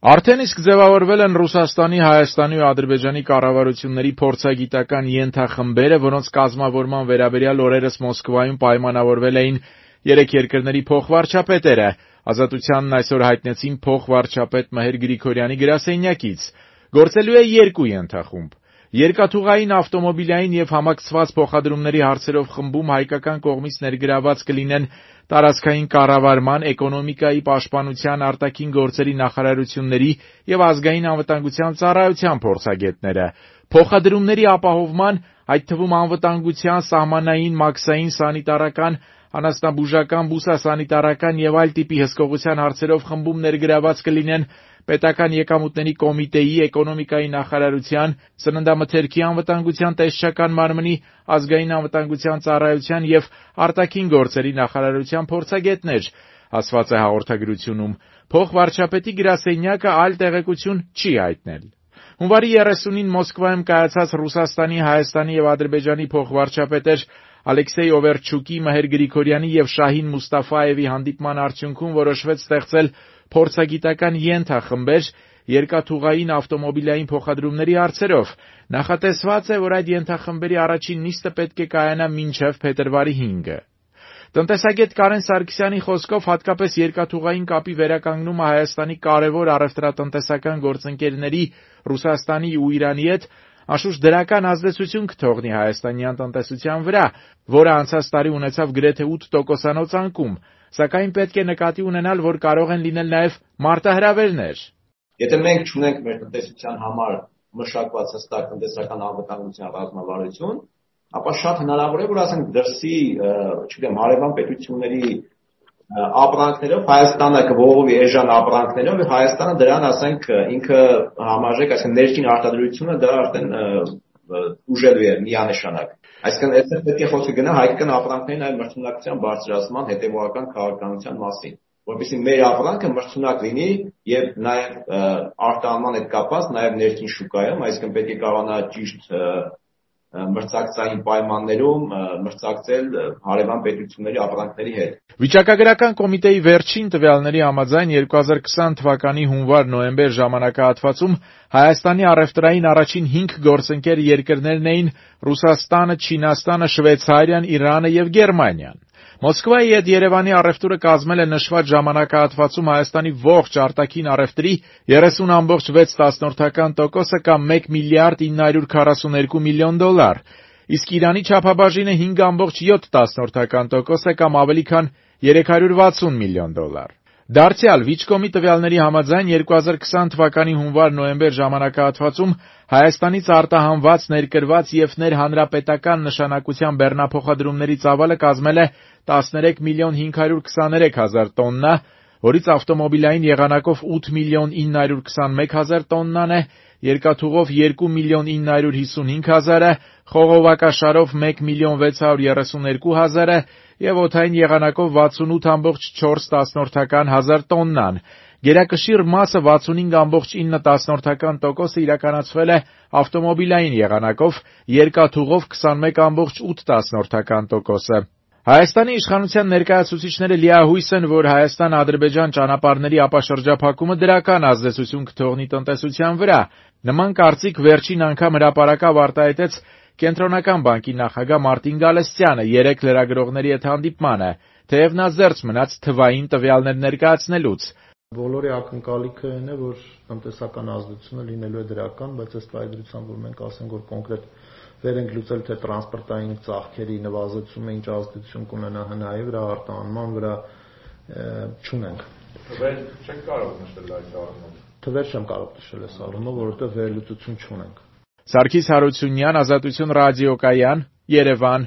Արդեն իսկ ձևավորվել են Ռուսաստանի, Հայաստանի ու Ադրբեջանի կառավարությունների փորձագիտական ենթախմբերը, որոնց կազմավորման վերաբերյալ օրերս Մոսկվայում պայմանավորվել էին երեք երկրների փոխվարչապետերը։ Ազատությանն այսօր հայտնեցին փոխվարչապետ Մհեր Գրիգորյանի գրասենյակից։ Գործելու է երկու ենթախումբ։ Երկաթուղային, ավտոմոբիլային և համակցված փոխադրումների հարցերով խմբում հայկական կողմից ներգրավված կլինեն տարածքային կառավարման, էկոնոմիկայի, պաշտպանության, արտաքին գործերի նախարարությունների և ազգային անվտանգության ծառայության փորձագետները։ Փոխադրումների ապահովման, այդ թվում անվտանգության, սահմանային, մաքսային, սանիտարական, անասնաբուժական, բուսասանիտարական և այլ տիպի հսկողության հարցերով խմբում ներգրավված կլինեն Պետական եկամուտների կոմիտեի, էկոնոմիկայի նախարարության, սննդամթերքի անվտանգության տեսչական մարմնի, ազգային անվտանգության ծառայության և արտաքին գործերի նախարարության փորձագետներ, ասված է հաղորդագրությունում։ Փոխվարչապետի գրասենյակը այլ տեղեկություն չի հայտնել։ Հունվարի 30-ին Մոսկվայում կայացած Ռուսաստանի, Հայաստանի և Ադրբեջանի փոխվարչապետեր Ալեքսեյ Օվերչուկի, Մհեր Գրիգորյանի և Շահին Մուստաֆայևի հանդիպման արդյունքում որոշվեց ստեղծել փորձագիտական ենթախմբեր երկաթուղային, ավտոմոբիլային փոխադրումների հարցերով։ Նախատեսված է, որ այդ ենթախմբերի առաջին նիստը պետք է կայանա մինչև փետրվարի 5-ը։ Տնտեսագետ Կարեն Սարգսյանի խոսքով, հատկապես երկաթուղային կապի վերականգնումը Հայաստանի կարևոր առևտրատնտեսական գործընկերների Ռուսաստանի ու Իրանի հետ անշուշտ դրական ազդեցություն կթողնի հայաստանյան տնտեսության վրա, որը անցած տարի ունեցավ գրեթե 8%-անոց անկում, սակայն պետք է նկատի ունենալ, որ կարող են լինել նաև մարտահրավերներ։ Եթե մենք չունենք մեր տնտեսության համար մշակված հստակ տնտեսական անվտանգության ռազմավարություն, ապա շատ հնարավոր է, որ ասենք դրսի, հարևան պետությունների ապրանքներով Հայաստանը կողովի էժան ապրանքներով, եւ Հայաստանը դրան, ասենք, ինքը համարժեք, այսինքն ներքին արտադրությունը դա արդեն ուժելու է միանշանակ։ Այսինքն այստեղ պետք է խոսքը գնա հայկական ապրանքների նաև մրցունակության բարձրացման հետևողական քաղաքականության մասին, որովհետեւ մեր ապրանքը մրցունակ լինի եւ նաև արտահանման հետ կապված նաև ներքին շուկայում, այսինքն պետք է կարողանա ճիշտ մրցակցային պայմաններում մրցակցել հարևան պետությունների ապրանքների հետ։ Վիճակագրական կոմիտեի վերջին տվյալների համաձայն 2020 թվականի հունվար-նոյեմբեր ժամանակահատվածում Հայաստանի առևտրային առաջին 5 գործընկեր երկրներն էին Ռուսաստանը, Չինաստանը, Շվեյցարիան, Իրանը եւ Գերմանիան։ Մոսկվայի հետ Երևանի առևտուրը կազմել է նշված ժամանակահատվածում Հայաստանի ողջ արտաքին առևտրի 30.6%, կամ 1 միլիարդ 942 միլիոն դոլար, իսկ Իրանի չափաբաժինը 5.7%, կամ ավելի քան 360 միլիոն դոլար։ Դարձյալ Վիճկոմի տվյալների համաձայն 2020 թվականի հունվար-նոյեմբեր ժամանակահատվածում Հայաստանից արտահանված, ներկրված և ներհանրապետական նշանակության բեռնափոխադրումների ծավալը կազմել է 13 միլիոն 523 հազար տոննա, որից ավտոմոբիլային եղանակով 8 միլիոն 921 հազար տոննան է, երկաթուղով 2 միլիոն 955 հազարը, խողովակաշարով 1 միլիոն 632 հազարը և օդային եղանակով 68.4 հազար տոննան։ Գերակշիռ մասը 65.9% իրականացվել է ավտոմոբիլային եղանակով, երկաթուղով 21.8%։ Հայաստանի իշխանության ներկայացուցիչները լիահույս են, որ Հայաստան-Ադրբեջան ճանապարհների ապաշրջափակումը դրական ազդեցություն կթողնի տնտեսության վրա։ Նման կարծիք վերջին անգամ հրապարակավ արտահայտեց Կենտրոնական բանկի նախագահ Մարտին Գալստյանը երեկ լրագրողների հետ հանդիպմանը, թեև նա զերծ մնաց թվային տվյալներ ներկայացնելուց։ Բոլորի ակնկալիքը այն է, որ տնտեսական ազդեցությունը լինելու է դրական, բայց ըստ այդրության, որ մենք ասենք, որ կոնկրետ վեր ենք լուծել, թե տրանսպորտային ծախսերի նվազեցումը ինչ ազդեցություն կունենա հնայի վրա, արտահանման վրա, չունենք։ Թվեր չեք կարող նշել այս առումով։ Թվեր չեմ կարող նշել այս առումով, որովհետև վերլուծություն չունենք։ Սարգիս Հարությունյան, Ազատություն ռադիոկայան, Երևան։